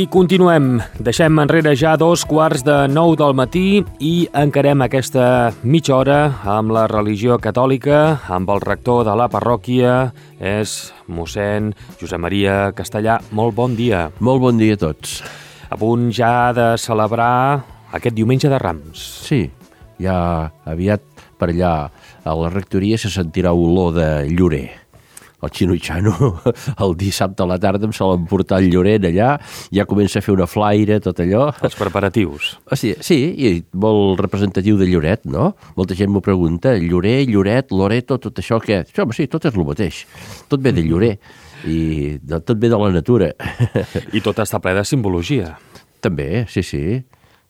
I continuem. Deixem enrere ja 2:15 del matí i encarem aquesta mitja hora amb la religió catòlica, amb el rector de la parròquia, és mossèn Josep Maria Castellà. Molt bon dia. Molt bon dia a tots. A punt ja de celebrar aquest diumenge de Rams. Sí, ja aviat per allà a la rectoria se sentirà olor de llorer. El xinutxano el dissabte a la tarda em solen portar el lloret allà, ja comença a fer una flaire, tot allò. Els preparatius. Sí, i molt representatiu de Lloret, no? Molta gent m'ho pregunta, llorer, lloret, loreto, tot això què? Home, sí, tot és el mateix. Tot ve de llorer i tot ve de la natura. I tot està ple de simbologia. També, sí.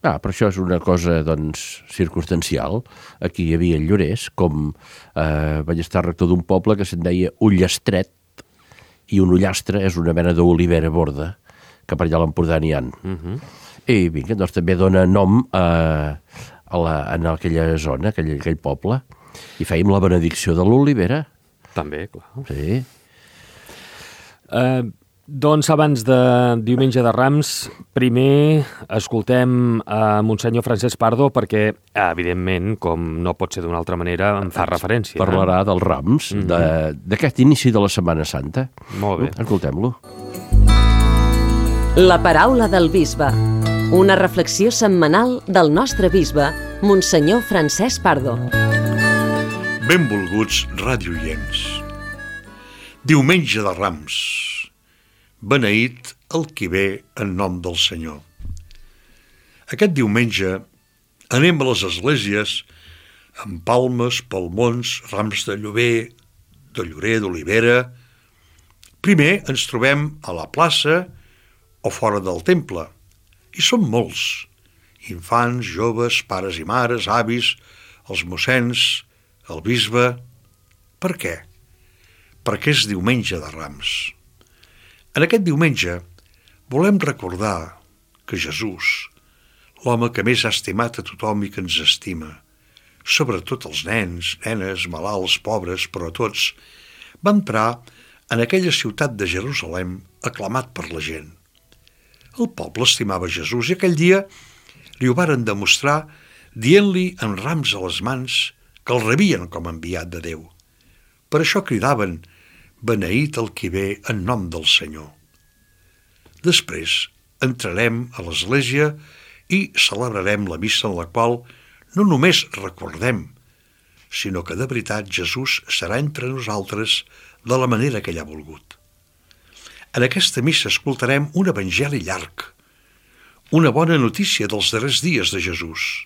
Però això és una cosa, doncs, circumstancial. Aquí hi havia llorers, com vaig estar rector d'un poble que se'n deia Ullastret, i un ullastre és una mena d'olivera borda, que per allà a l'Empordà n'hi ha. I vinga, doncs també dona nom en aquella zona, aquell poble, i fèiem la benedicció de l'olivera. També, clar. Sí. Doncs abans de diumenge de Rams, primer escoltem a Monsenyor Francesc Pardo perquè, evidentment, com no pot ser d'una altra manera, en fa referència. Parlarà dels Rams, d'aquest inici de la Setmana Santa. Molt bé. Escoltem-lo. La paraula del bisbe. Una reflexió setmanal del nostre bisbe, Monsenyor Francesc Pardo. Benvolguts radioients. Diumenge de Rams. Beneït el qui ve en nom del Senyor. Aquest diumenge anem a les esglésies amb palmes, palmons, rams de llorer, d'olivera. Primer ens trobem a la plaça o fora del temple, i són molts, infants, joves, pares i mares, avis, els mossens, el bisbe. Per què? Perquè és diumenge de Rams. En aquest diumenge volem recordar que Jesús, l'home que més ha estimat a tothom i que ens estima, sobretot els nens, nenes, malalts, pobres, però a tots, va entrar en aquella ciutat de Jerusalem aclamat per la gent. El poble estimava Jesús i aquell dia li ho varen demostrar dient-li en rams a les mans que el rebien com a enviat de Déu. Per això cridaven: beneït el qui ve en nom del Senyor. Després entrarem a l'església i celebrarem la missa en la qual no només recordem, sinó que de veritat Jesús serà entre nosaltres de la manera que ell ha volgut. En aquesta missa escoltarem un evangeli llarg, una bona notícia dels darrers dies de Jesús,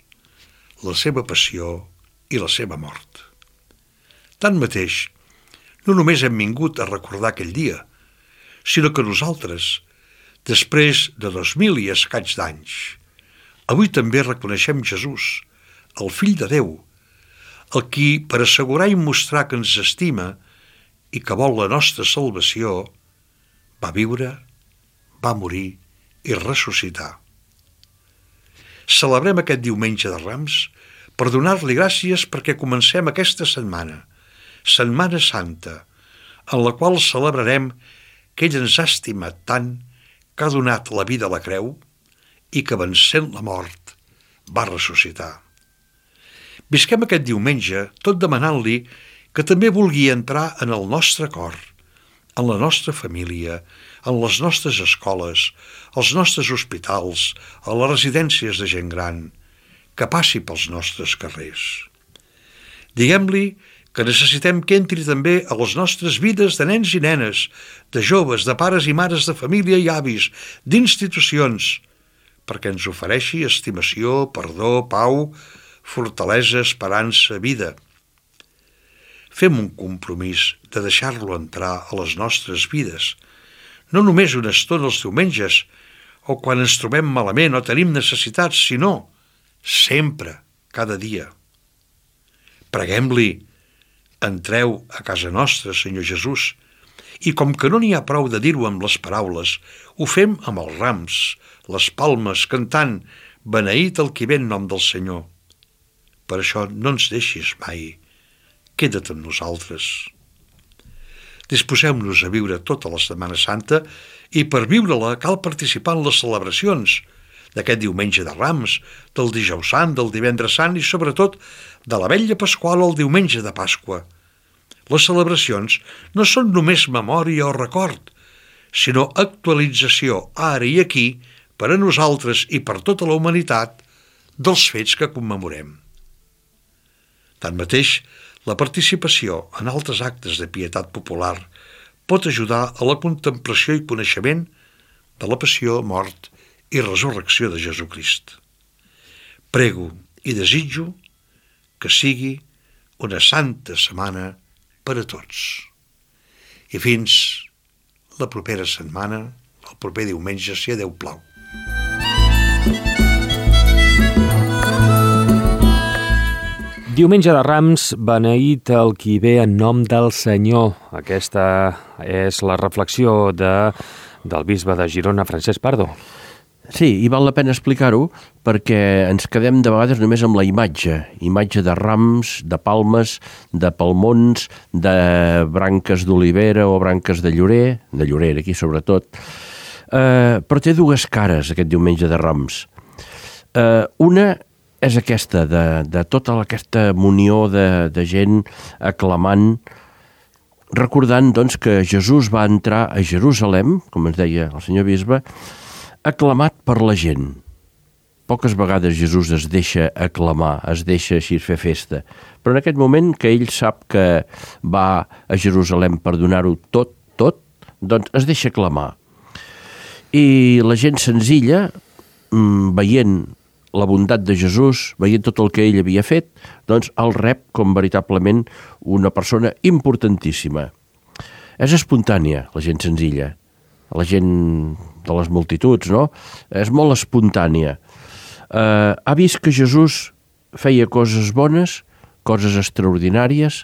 la seva passió i la seva mort. Tanmateix, no només hem vingut a recordar aquell dia, sinó que nosaltres, després de 2000 i escaig d'anys, avui també reconeixem Jesús, el Fill de Déu, el qui, per assegurar i mostrar que ens estima i que vol la nostra salvació, va viure, va morir i ressuscitar. Celebrem aquest diumenge de Rams per donar-li gràcies perquè comencem aquesta setmana, Setmana Santa, en la qual celebrarem que ell ens ha estimat tant, que ha donat la vida a la creu i que, vencent la mort, va ressuscitar. Visquem aquest diumenge tot demanant-li que també vulgui entrar en el nostre cor, en la nostra família, en les nostres escoles, als nostres hospitals, a les residències de gent gran, que passi pels nostres carrers. Diguem-li que necessitem que entri també a les nostres vides de nens i nenes, de joves, de pares i mares de família i avis, d'institucions, perquè ens ofereixi estimació, perdó, pau, fortalesa, esperança, vida. Fem un compromís de deixar-lo entrar a les nostres vides, no només una estona els diumenges o quan ens trobem malament o tenim necessitats, sinó sempre, cada dia. Preguem-li: entreu a casa nostra, Senyor Jesús, i com que no n'hi ha prou de dir-ho amb les paraules, ho fem amb els rams, les palmes, cantant: beneït el qui ve en nom del Senyor. Per això no ens deixis mai, queda't amb nosaltres. Disposem-nos a viure tota la Setmana Santa i per viure-la cal participar en les celebracions d'aquest diumenge de Rams, del Dijous Sant, del Divendres Sant i sobretot de la Vetlla Pasqual o el diumenge de Pasqua. Les celebracions no són només memòria o record, sinó actualització ara i aquí per a nosaltres i per tota la humanitat dels fets que commemorem. Tanmateix, la participació en altres actes de pietat popular pot ajudar a la contemplació i coneixement de la passió, mort i resurrecció de Jesucrist. Prego i desitjo que sigui una santa setmana per a tots. I fins la propera setmana, el proper diumenge, si a Déu plau. Diumenge de Rams, beneït el qui ve en nom del Senyor. Aquesta és la reflexió del bisbe de Girona, Francesc Pardo. Sí, i val la pena explicar-ho perquè ens quedem de vegades només amb la imatge de rams, de palmes, de palmons, de branques d'olivera o branques de llorer aquí sobretot, però té dues cares aquest diumenge de Rams. Una és aquesta, de tota aquesta munió de gent aclamant, recordant doncs, que Jesús va entrar a Jerusalem, com ens deia el senyor bisbe, aclamat per la gent. Poques vegades Jesús es deixa aclamar, es deixa així fer festa, però en aquest moment que ell sap que va a Jerusalem per donar-ho tot, doncs es deixa aclamar. I la gent senzilla, veient la bondat de Jesús, veient tot el que ell havia fet, doncs el rep com veritablement una persona importantíssima. És espontània, la gent senzilla, la gent de les multituds, no? És molt espontània. Ha vist que Jesús feia coses bones, coses extraordinàries,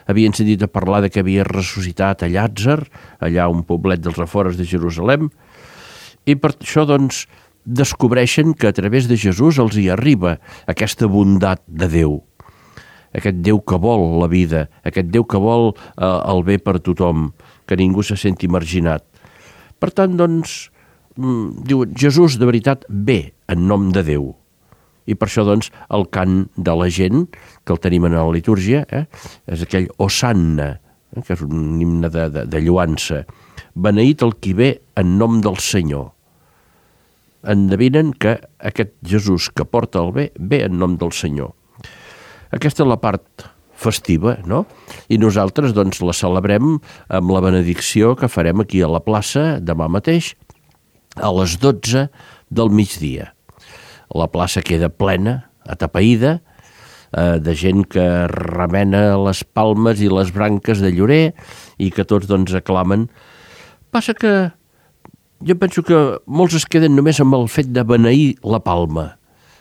havien sentit a parlar de que havia ressuscitat a Llàtzer, allà a un poblet dels afores de Jerusalem, i per això, doncs, descobreixen que a través de Jesús els hi arriba aquesta bondat de Déu, aquest Déu que vol la vida, aquest Déu que vol el bé per tothom, que ningú se senti marginat. Per tant, doncs, diuen, Jesús de veritat ve en nom de Déu. I per això, doncs, el cant de la gent, que el tenim en la litúrgia, és aquell Hosanna, que és un himne de lloança. Beneït el qui ve en nom del Senyor. Endevinen que aquest Jesús que porta el bé, ve en nom del Senyor. Aquesta és la part festiva, no? I nosaltres, doncs, la celebrem amb la benedicció que farem aquí a la plaça demà mateix, a les 12 del migdia. La plaça queda plena, atapeïda, de gent que remena les palmes i les branques de llorer i que tots, doncs, aclamen. Passa que jo penso que molts es queden només amb el fet de beneir la palma,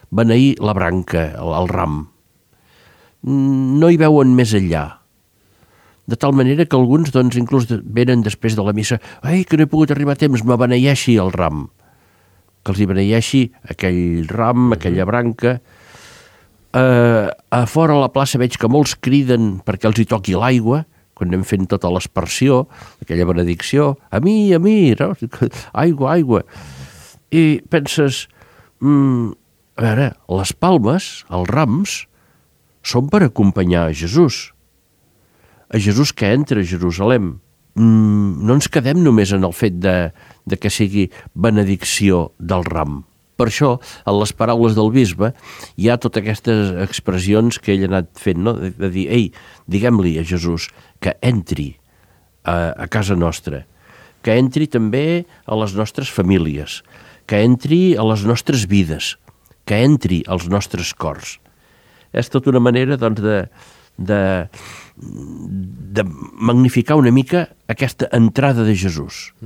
beneir la branca, el ram. No hi veuen més enllà. De tal manera que alguns, doncs, inclús venen després de la missa, ai, que no he pogut arribar a temps, me beneeixi el ram. Que els hi beneeixi aquell ram, aquella branca. A fora a la plaça veig que molts criden perquè els hi toqui l'aigua, quan anem fent tota l'aspersió, aquella benedicció, a mi, no? Aigua. I penses, a veure, les palmes, els rams, són per acompanyar a Jesús que entra a Jerusalem. No ens quedem només en el fet de que sigui benedicció del ram. Per això, en les paraules del bisbe, hi ha totes aquestes expressions que ell ha anat fent, no? De dir, ei, diguem-li a Jesús que entri a casa nostra, que entri també a les nostres famílies, que entri a les nostres vides, que entri als nostres cors. És tota una manera, doncs, de magnificar una mica aquesta entrada de Jesús.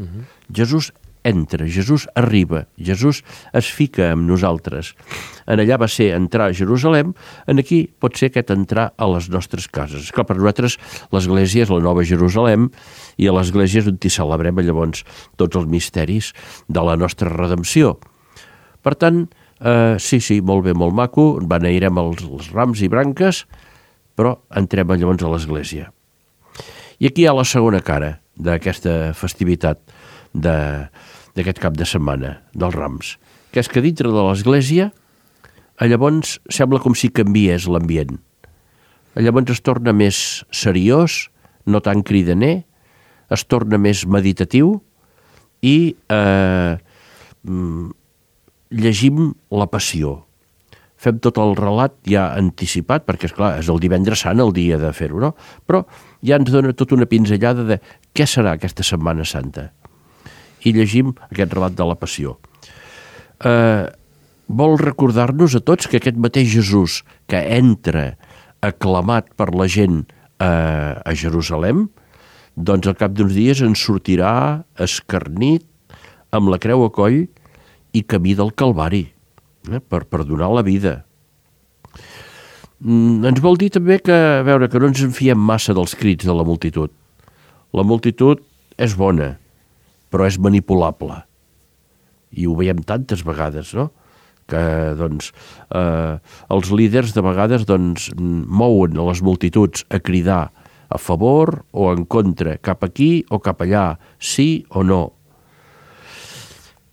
Jesús entra, Jesús arriba, Jesús es fica amb nosaltres. En allà va ser entrar a Jerusalem, en aquí pot ser aquest entrar a les nostres cases. Esclar, per nosaltres l'Església és la Nova Jerusalem i a l'Església és on hi celebrem llavors tots els misteris de la nostra redempció. Per tant, sí, molt bé, molt maco, beneirem els rams i branques, però entrem llavors a l'Església. I aquí hi ha la segona cara d'aquesta festivitat d'aquest cap de setmana, dels Rams, que és que dintre de l'església llavors sembla com si canviés l'ambient. Llavors es torna més seriós, no tan cridaner, es torna més meditatiu i llegim la Passió. Fem tot el relat ja anticipat, perquè, esclar, és el divendres sant el dia de fer-ho, no? Però ja ens dona tota una pinzellada de què serà aquesta Setmana Santa. I llegim aquest relat de la Passió. Vol recordar-nos a tots que aquest mateix Jesús que entra aclamat per la gent a Jerusalem, doncs al cap d'uns dies ens sortirà escarnit amb la creu a coll i camí del Calvari, per donar la vida. Ens vol dir també que, a veure, que no ens en fiem massa dels crits de la multitud. La multitud és bona, però és manipulable. I ho veiem tantes vegades, no? Que, doncs, els líders de vegades, doncs, mouen les multituds a cridar a favor o en contra, cap aquí o cap allà, sí o no.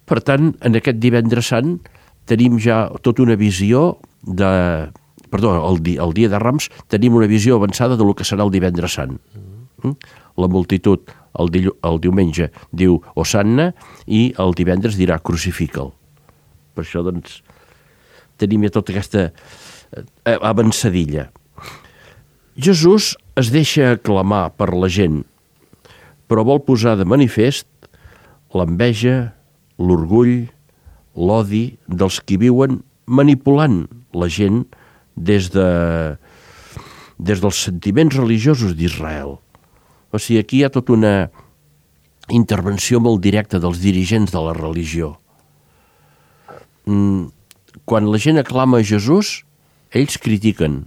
Per tant, en aquest divendres sant tenim ja tota una visió el dia de Rams tenim una visió avançada del que serà el divendres sant. La multitud el diumenge diu Hosanna i el divendres dirà crucifica'l. Per això, doncs, tenim ja tota aquesta avançadilla. Jesús es deixa aclamar per la gent, però vol posar de manifest l'enveja, l'orgull, l'odi dels qui viuen manipulant la gent des dels sentiments religiosos d'Israel. O sigui, aquí hi ha tota una intervenció molt directa dels dirigents de la religió. Quan la gent aclama a Jesús, ells critiquen,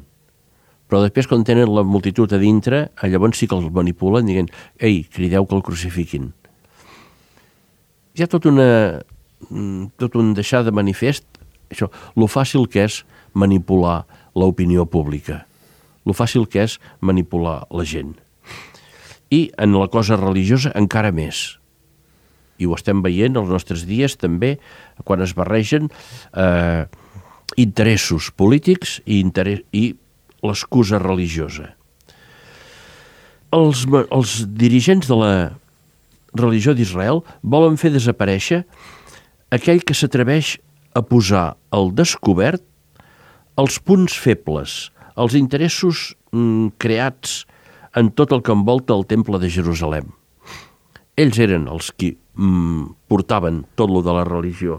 però després quan tenen la multitud a dintre, llavors sí que els manipulen dient, ei, crideu que el crucifiquin. Hi ha tot un deixar de manifest, això, lo fàcil que és manipular l'opinió pública, lo fàcil que és manipular la gent. I en la cosa religiosa encara més. I ho estem veient els nostres dies també, quan es barregen interessos polítics i l'excusa religiosa. Els dirigents de la religió d'Israel volen fer desaparèixer aquell que s'atreveix a posar al descobert els punts febles, els interessos creats en tot el que envolta el temple de Jerusalem. Ells eren els qui portaven tot lo de la religió.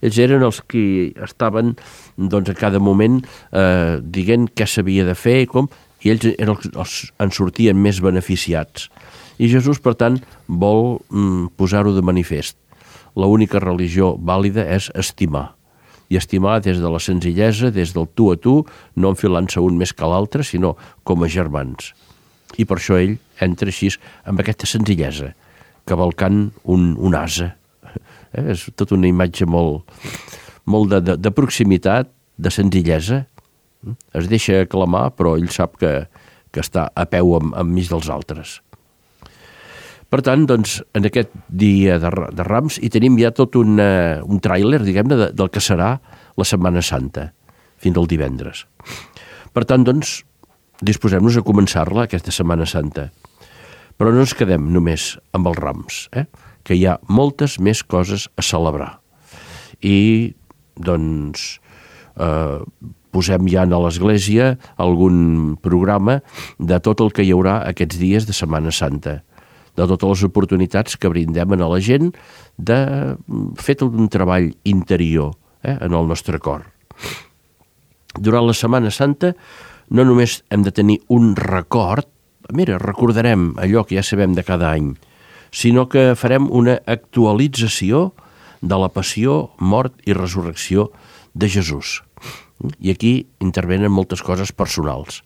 Ells eren els qui estaven, doncs, a cada moment dient què s'havia de fer i com, i ells en sortien més beneficiats. I Jesús, per tant, vol posar-ho de manifest. L'única religió vàlida és estimar. I estimar des de la senzillesa, des del tu a tu, no enfilant-se un més que l'altre, sinó com a germans. I per això ell entra així amb aquesta senzillesa, cavalcant un ase. És tota una imatge molt de proximitat, de senzillesa. Es deixa aclamar, però ell sap que està a peu enmig dels altres. Per tant, doncs, en aquest dia de Rams hi tenim ja tot un tràiler, diguem-ne, del que serà la Setmana Santa, fins al divendres. Per tant, doncs, disposem-nos a començar-la, aquesta Setmana Santa. Però no ens quedem només amb els Rams, que hi ha moltes més coses a celebrar. I, doncs, posem ja a l'Església algun programa de tot el que hi haurà aquests dies de Setmana Santa, de totes les oportunitats que brindem a la gent de fer tot un treball interior en el nostre cor. Durant la Setmana Santa no només hem de tenir un record, mira, recordarem allò que ja sabem de cada any, sinó que farem una actualització de la passió, mort i resurrecció de Jesús. I aquí intervenen moltes coses personals.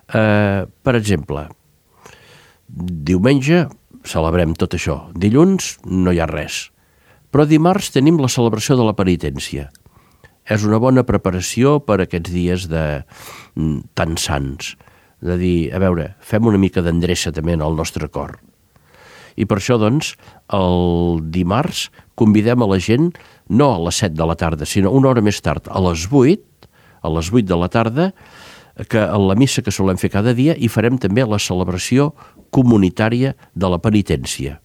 Per exemple, diumenge celebrem tot això. Dilluns no hi ha res. Però dimarts tenim la celebració de la penitència. És una bona preparació per aquests dies tan sants. de dir, a veure, fem una mica d'endreça també en el nostre cor. I per això, doncs, el dimarts convidem a la gent, no a les 7 de la tarda, sinó una hora més tard, a les 8 de la tarda, que a la missa que solem fer cada dia hi farem també la celebració comunitària de la penitència.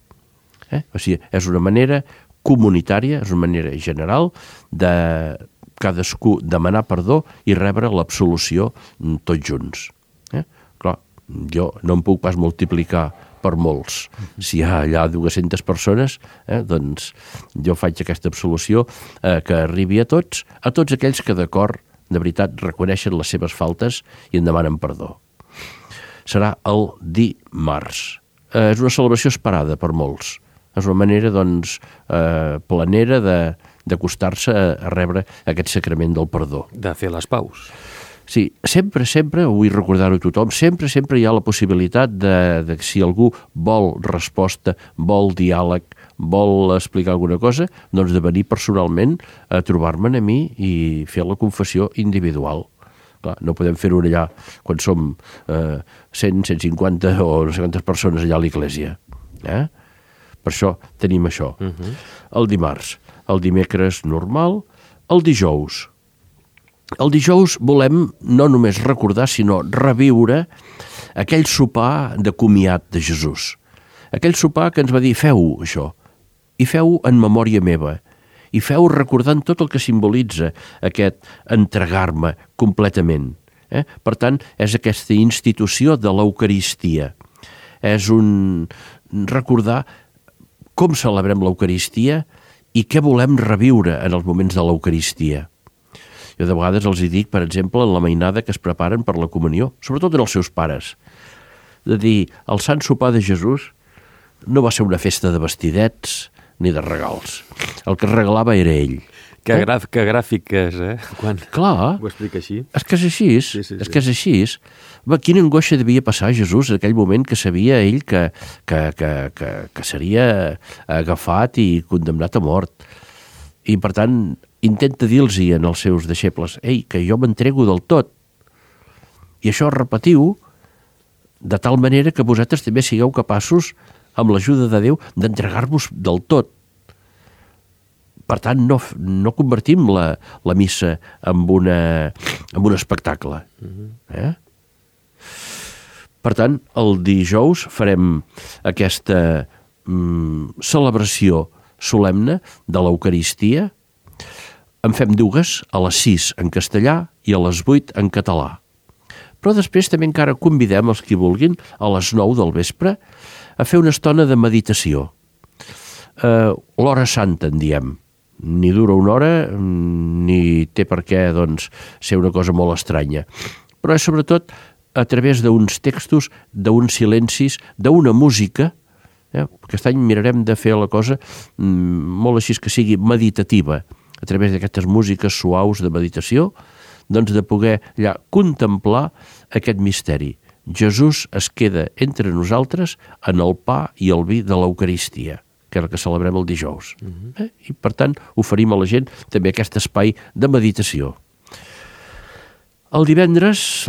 O sigui, és una manera comunitària, és una manera general de cadascú demanar perdó i rebre l'absolució tots junts. Clar, jo no em puc pas multiplicar per molts. Si hi ha allà 200 persones, doncs jo faig aquesta absolució que arribi a tots aquells que d'acord, de veritat, reconeixen les seves faltes i en demanen perdó. Serà el dimarts. És una celebració esperada per molts. És una manera, doncs, planera d'acostar-se a rebre aquest sacrament del perdó. De fer les paus. Sí, sempre, vull recordar-ho a tothom, sempre hi ha la possibilitat de si algú vol resposta, vol diàleg, vol explicar alguna cosa, doncs de venir personalment a trobar-me'n a mi i fer la confessió individual. Clar, no podem fer-ho allà quan som 100, 150 o no sé quantes persones allà a l'església. Per això tenim això. El dimarts, el dimecres normal, el dijous. El dijous volem no només recordar, sinó reviure aquell sopar de comiat de Jesús. Aquell sopar que ens va dir, feu això, i feu en memòria meva, i feu recordant tot el que simbolitza aquest entregar-me completament. Per tant, és aquesta institució de l'Eucaristia. És un recordar com celebrem l'Eucaristia i què volem reviure en els moments de l'Eucaristia. Jo de vegades els hi dic, per exemple, en la mainada que es preparen per la comunió, sobretot en els seus pares, de dir, el Sant Sopar de Jesús no va ser una festa de vestidets ni de regals. El que regalava era ell. Que gràfic és, Quan Clar, ho explica així. És que és així, Sí. És que és així. Quina angoixa devia passar a Jesús en aquell moment que sabia ell que seria agafat i condemnat a mort. I, per tant, intenta dir-los als seus deixebles, que jo m'entrego del tot. I això repetiu de tal manera que vosaltres també sigueu capaços, amb l'ajuda de Déu, d'entregar-vos del tot. Per tant, no convertim la missa en un espectacle. Per tant, el dijous farem aquesta celebració solemne de l'Eucaristia. En fem dues, a les 6 en castellà i a les 8 en català. Però després també encara convidem els qui vulguin a les 9 del vespre a fer una estona de meditació. L'hora santa, en diem. Ni dura una hora, ni té per què ser una cosa molt estranya. Però és sobretot a través d'uns textos, d'uns silencis, d'una música. Aquest any mirarem de fer la cosa molt així que sigui meditativa, a través d'aquestes músiques suaus de meditació, de poder allà contemplar aquest misteri. Jesús es queda entre nosaltres en el pa i el vi de l'Eucaristia, que és el que celebrem el dijous. I, per tant, oferim a la gent també aquest espai de meditació. El divendres,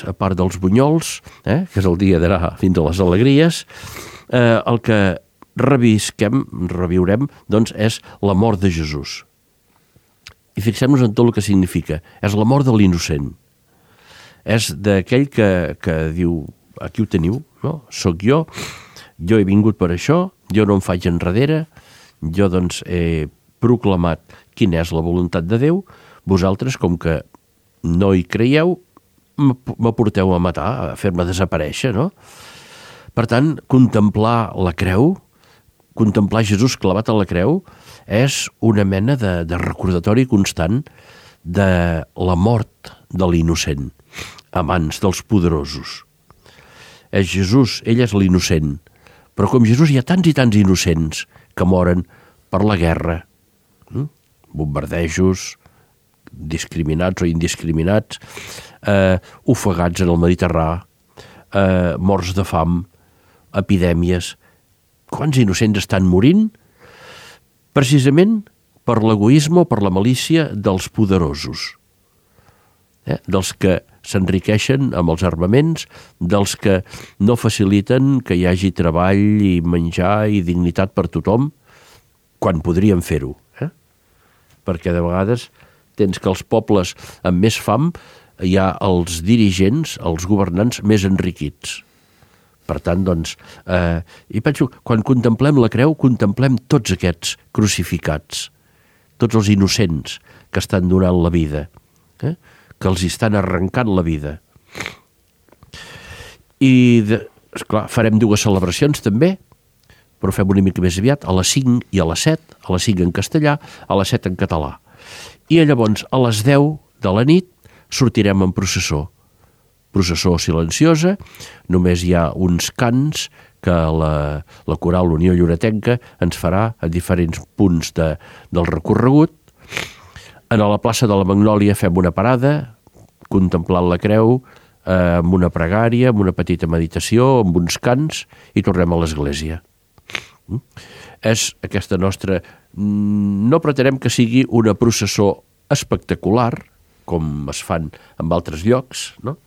a part dels bunyols, que és el dia d'anar fins a les alegries, el que reviurem, és la mort de Jesús. I fixem-nos en tot el que significa. És la mort de l'innocent. És d'aquell que diu, aquí ho teniu, no? Soc jo he vingut per això, jo no em faig enrere, jo he proclamat quina és la voluntat de Déu, vosaltres, com que no hi creieu, m'aporteu a matar, a fer-me desaparèixer, no? Per tant, contemplar la creu, contemplar Jesús clavat a la creu, és una mena de recordatori constant de la mort de l'innocent a mans dels poderosos. És Jesús, ell és l'innocent, però com Jesús hi ha tants i tants innocents que moren per la guerra, bombardejos, discriminats o indiscriminats, ofegats en el Mediterrani, morts de fam, epidèmies. Quants innocents estan morint? Precisament per l'egoisme o per la malícia dels poderosos, dels que s'enriqueixen amb els armaments dels que no faciliten que hi hagi treball i menjar i dignitat per tothom quan podríem fer-ho. Perquè de vegades tens que els pobles amb més fam hi ha els dirigents, els governants més enriquits. Per tant, doncs, i penso, quan contemplem la creu, contemplem tots aquests crucificats, tots els innocents que estan donant la vida, que els estan arrencant la vida. I, esclar, farem 2 celebracions també, però fem una mica més aviat, a les 5 i a les 7, a les 5 en castellà, a les 7 en català. I llavors, a les 10 de la nit, sortirem en processó silenciosa, només hi ha uns cants que la Coral Unió Lloretenca ens farà a diferents punts del recorregut. A la plaça de la Magnòlia fem una parada, contemplant la creu, amb una pregària, amb una petita meditació, amb uns cants, i tornem a l'església. És aquesta nostra... No pretenem que sigui una processó espectacular, com es fan en altres llocs, no?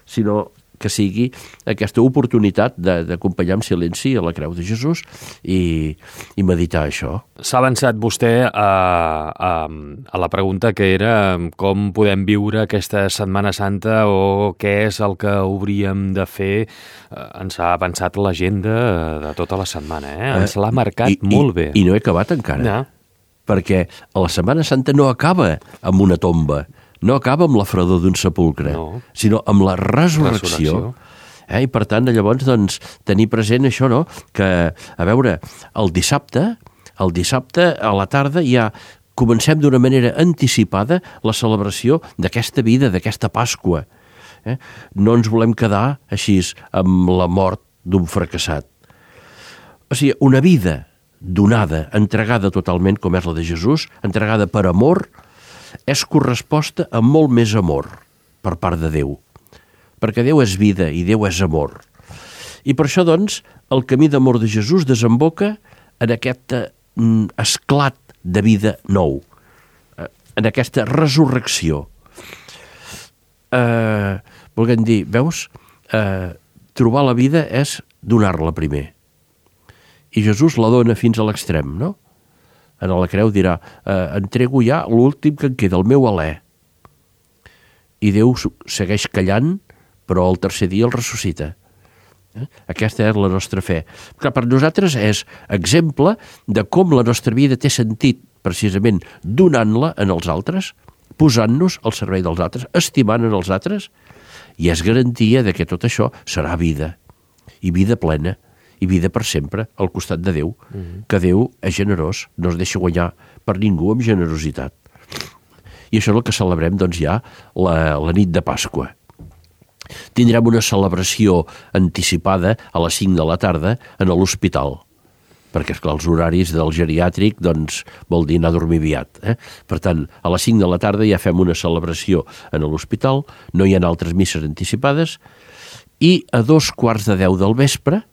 Sinó que sigui aquesta oportunitat d'acompanyar en silenci a la creu de Jesús i meditar això. S'ha avançat vostè a la pregunta que era com podem viure aquesta Setmana Santa o què és el que hauríem de fer. Ens ha avançat l'agenda de tota la setmana, ens l'ha marcat molt bé. I no he acabat encara, no. Perquè la Setmana Santa no acaba amb una tomba, no acaba amb la fredor d'un sepulcre, sinó amb la resurrecció. I per tant, llavors, doncs, tenir present això, no? Que, a veure, el dissabte a la tarda ja comencem d'una manera anticipada la celebració d'aquesta vida, d'aquesta Pasqua. No ens volem quedar així amb la mort d'un fracassat. O sigui, una vida donada, entregada totalment, com és la de Jesús, entregada per amor, és corresposta amb molt més amor per part de Déu. Perquè Déu és vida i Déu és amor. I per això, doncs, el camí d'amor de Jesús desemboca en aquest esclat de vida nou, en aquesta resurrecció. Volguem dir, veus, trobar la vida és donar-la primer. I Jesús la dona fins a l'extrem, no? En la creu dirà, entrego ja l'últim que em queda, el meu alè. I Déu segueix callant, però el tercer dia el ressuscita. Aquesta és la nostra fe. Clar, per nosaltres és exemple de com la nostra vida té sentit, precisament donant-la en els altres, posant-nos al servei dels altres, estimant en els altres, i és garantia de que tot això serà vida, i vida plena, i vida per sempre al costat de Déu, que Déu és generós, no es deixa guanyar per ningú amb generositat. I això és el que celebrem, doncs, ja la nit de Pasqua. Tindrem una celebració anticipada a les 5 de la tarda en l'hospital, perquè, esclar, els horaris del geriàtric, doncs, vol dir anar a dormir aviat. Per tant, a les 5 de la tarda ja fem una celebració en l'hospital, no hi ha altres misses anticipades, i a 2:15 del vespre,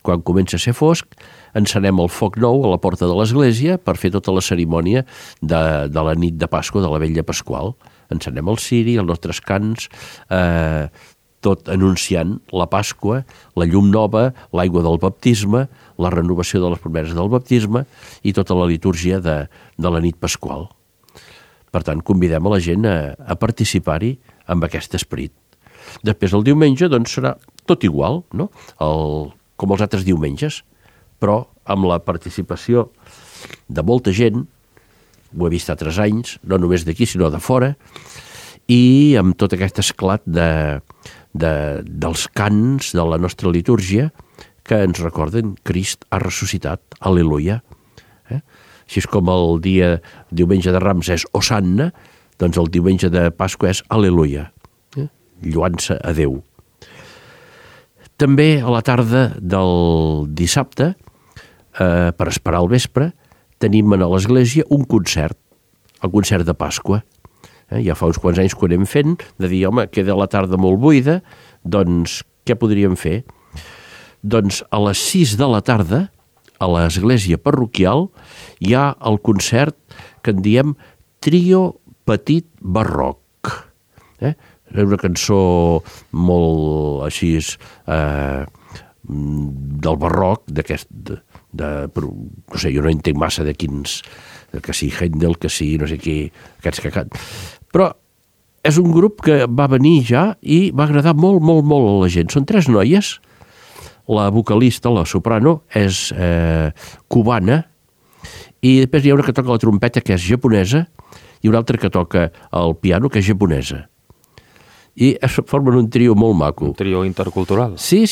quan comença a ser fosc, encenem el foc nou a la porta de l'església per fer tota la cerimònia de la nit de Pasqua, de la Vetlla Pasqual. Encenem el ciri, els nostres cants, tot anunciant la Pasqua, la llum nova, l'aigua del baptisme, la renovació de les promeses del baptisme i tota la litúrgia de la nit pasqual. Per tant, convidem a la gent a participar-hi amb aquest esperit. Després, el diumenge, doncs, serà tot igual, no? Com els altres diumenges, però amb la participació de molta gent, ho he vist altres anys, no només d'aquí, sinó de fora, i amb tot aquest esclat dels cants de la nostra litúrgia que ens recorden Crist ha ressuscitat, al·leluia. Així és com el diumenge de Rams és Hosanna, doncs el diumenge de Pasqua és al·leluia, lluant-se a Déu. També a la tarda del dissabte, per esperar el vespre, tenim a l'església un concert, el concert de Pasqua. Ja fa uns quants anys que ho anem fent, de dir, home, queda la tarda molt buida, doncs què podríem fer? Doncs a les 6 de la tarda, a l'església parroquial, hi ha el concert que en diem Trio Petit Barroc. és una cançó molt així del barroc, d'aquest, no sé, jo no entenc massa de quins, que sí Händel, que sí no sé qui, aquests que canten, però és un grup que va venir ja i va agradar molt, molt, molt a la gent. Són 3 noies, la vocalista, la soprano, és cubana, i després hi ha una que toca la trompeta, que és japonesa, i una altra que toca el piano, que és japonesa. I formen un trio molt maco. Un trio intercultural. Sí.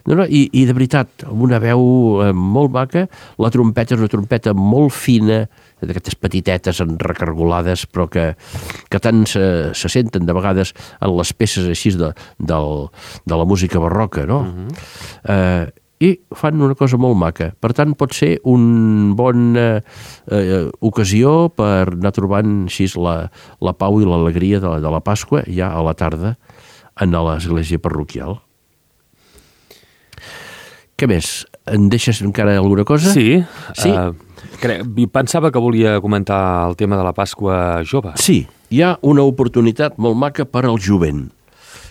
No, i de veritat, amb una veu molt maca, la trompeta és una trompeta molt fina, d'aquestes petitetes recargolades, però que tant se senten de vegades en les peces així de la música barroca, no? I fan una cosa molt maca. Per tant, pot ser un bon ocasió per anar trobant així la pau i l'alegria de la Pasqua ja a la tarda a l'església parroquial. Què més? Em deixes encara alguna cosa? Sí. Pensava que volia comentar el tema de la Pasqua jove. Sí, hi ha una oportunitat molt maca per al jovent.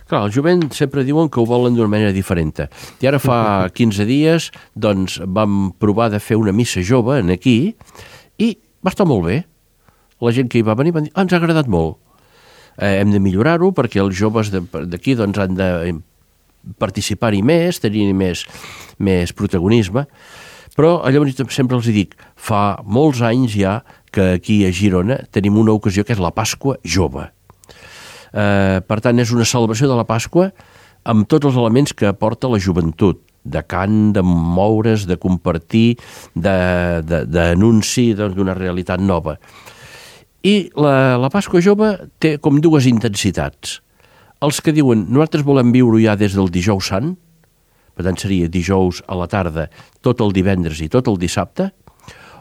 Clar, el jovent sempre diuen que ho volen d'una manera diferent. I ara fa 15 dies doncs, vam provar de fer una missa jove aquí i va estar molt bé. La gent que hi va venir va dir, ens ha agradat molt. Hem de millorar-ho perquè els joves d'aquí doncs, han de participar-hi més, tenir més protagonisme. Però llavors sempre els dic, fa molts anys ja que aquí a Girona tenim una ocasió que és la Pasqua jove. Per tant, és una celebració de la Pasqua amb tots els elements que aporta la joventut, de cant, de moure's, de compartir, d'anunci d'una realitat nova. I la Pasqua jove té com 2 intensitats. Els que diuen, nosaltres volem viure ja des del dijous sant, per tant seria dijous a la tarda, tot el divendres i tot el dissabte,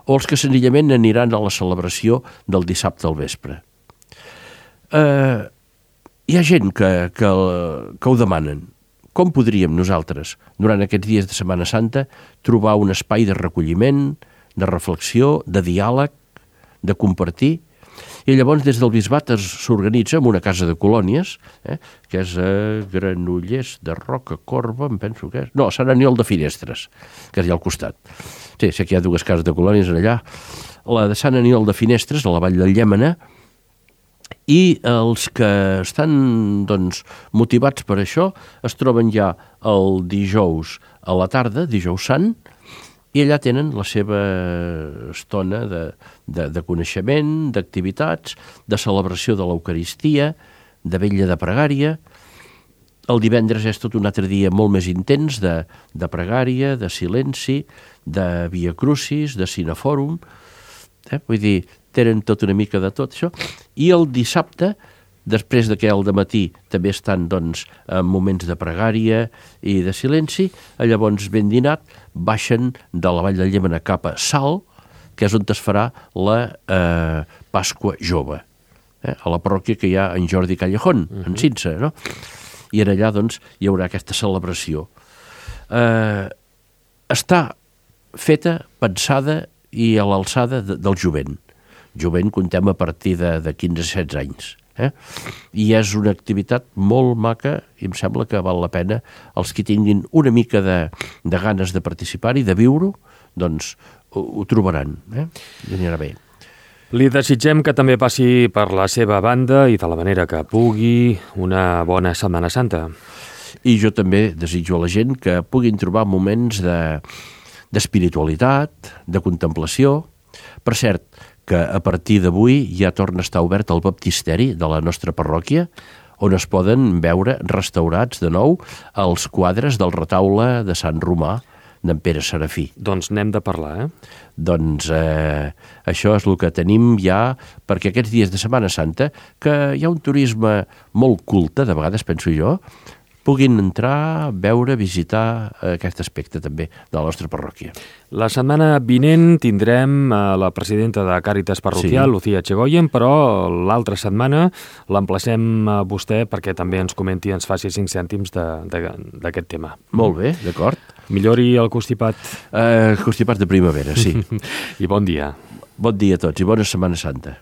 o els que senzillament aniran a la celebració del dissabte al vespre. Hi ha gent que ho demanen. Com podríem nosaltres, durant aquests dies de Setmana Santa, trobar un espai de recolliment, de reflexió, de diàleg, de compartir? I llavors des del bisbat s'organitza en una casa de colònies, que és a Granollers de Rocacorba, em penso que és... No, a Sant Aniol de Finestres, que és allà al costat. Sí, sé que hi ha 2 cases de colònies allà. La de Sant Aniol de Finestres, a la vall del Llémena, i els que estan doncs, motivats per això es troben ja el dijous a la tarda, dijous sant, i allà tenen la seva estona de coneixement, d'activitats, de celebració de l'Eucaristia, de vetlla de pregària. El divendres és tot un altre dia molt més intens de pregària, de silenci, de Via Crucis, de Cinefòrum. Vull dir, tenen tot una mica de tot això. I el dissabte, després que al dematí també estan doncs, en moments de pregària i de silenci, llavors ben dinat baixen de la Vall del Llémena cap a Salt, que és on es farà la Pasqua jove, a la parròquia que hi ha en Jordi Callejón, en Cinsa, no? I en allà doncs, hi haurà aquesta celebració. Està feta, pensada i a l'alçada del jovent. Jovent contem a partir de 15-16 anys. I és una activitat molt maca i em sembla que val la pena els que tinguin una mica de ganes de participar-hi, de viure-ho, doncs ho trobaran. I anirà bé. Li desitgem que també passi per la seva banda i de la manera que pugui una bona Setmana Santa. I jo també desitjo a la gent que puguin trobar moments d'espiritualitat, de contemplació. Per cert, que a partir d'avui ja torna a estar obert el baptisteri de la nostra parròquia, on es poden veure restaurats de nou els quadres del retaule de Sant Romà d'en Pere Serafí. Doncs n'hem de parlar, Doncs això és el que tenim ja, perquè aquests dies de Setmana Santa, que hi ha un turisme molt culte, de vegades penso jo, puguin entrar, veure, visitar aquest aspecte també de la nostra parròquia. La setmana vinent tindrem la presidenta de Càritas Parroquial, sí. Lucía Chegoyen, però l'altra setmana l'emplacem a vostè perquè també ens comenti i ens faci 5 cèntims d'aquest tema. Molt bé, d'acord. Millori el constipat. Constipat de primavera, sí. I bon dia. Bon dia a tots i bona Setmana Santa.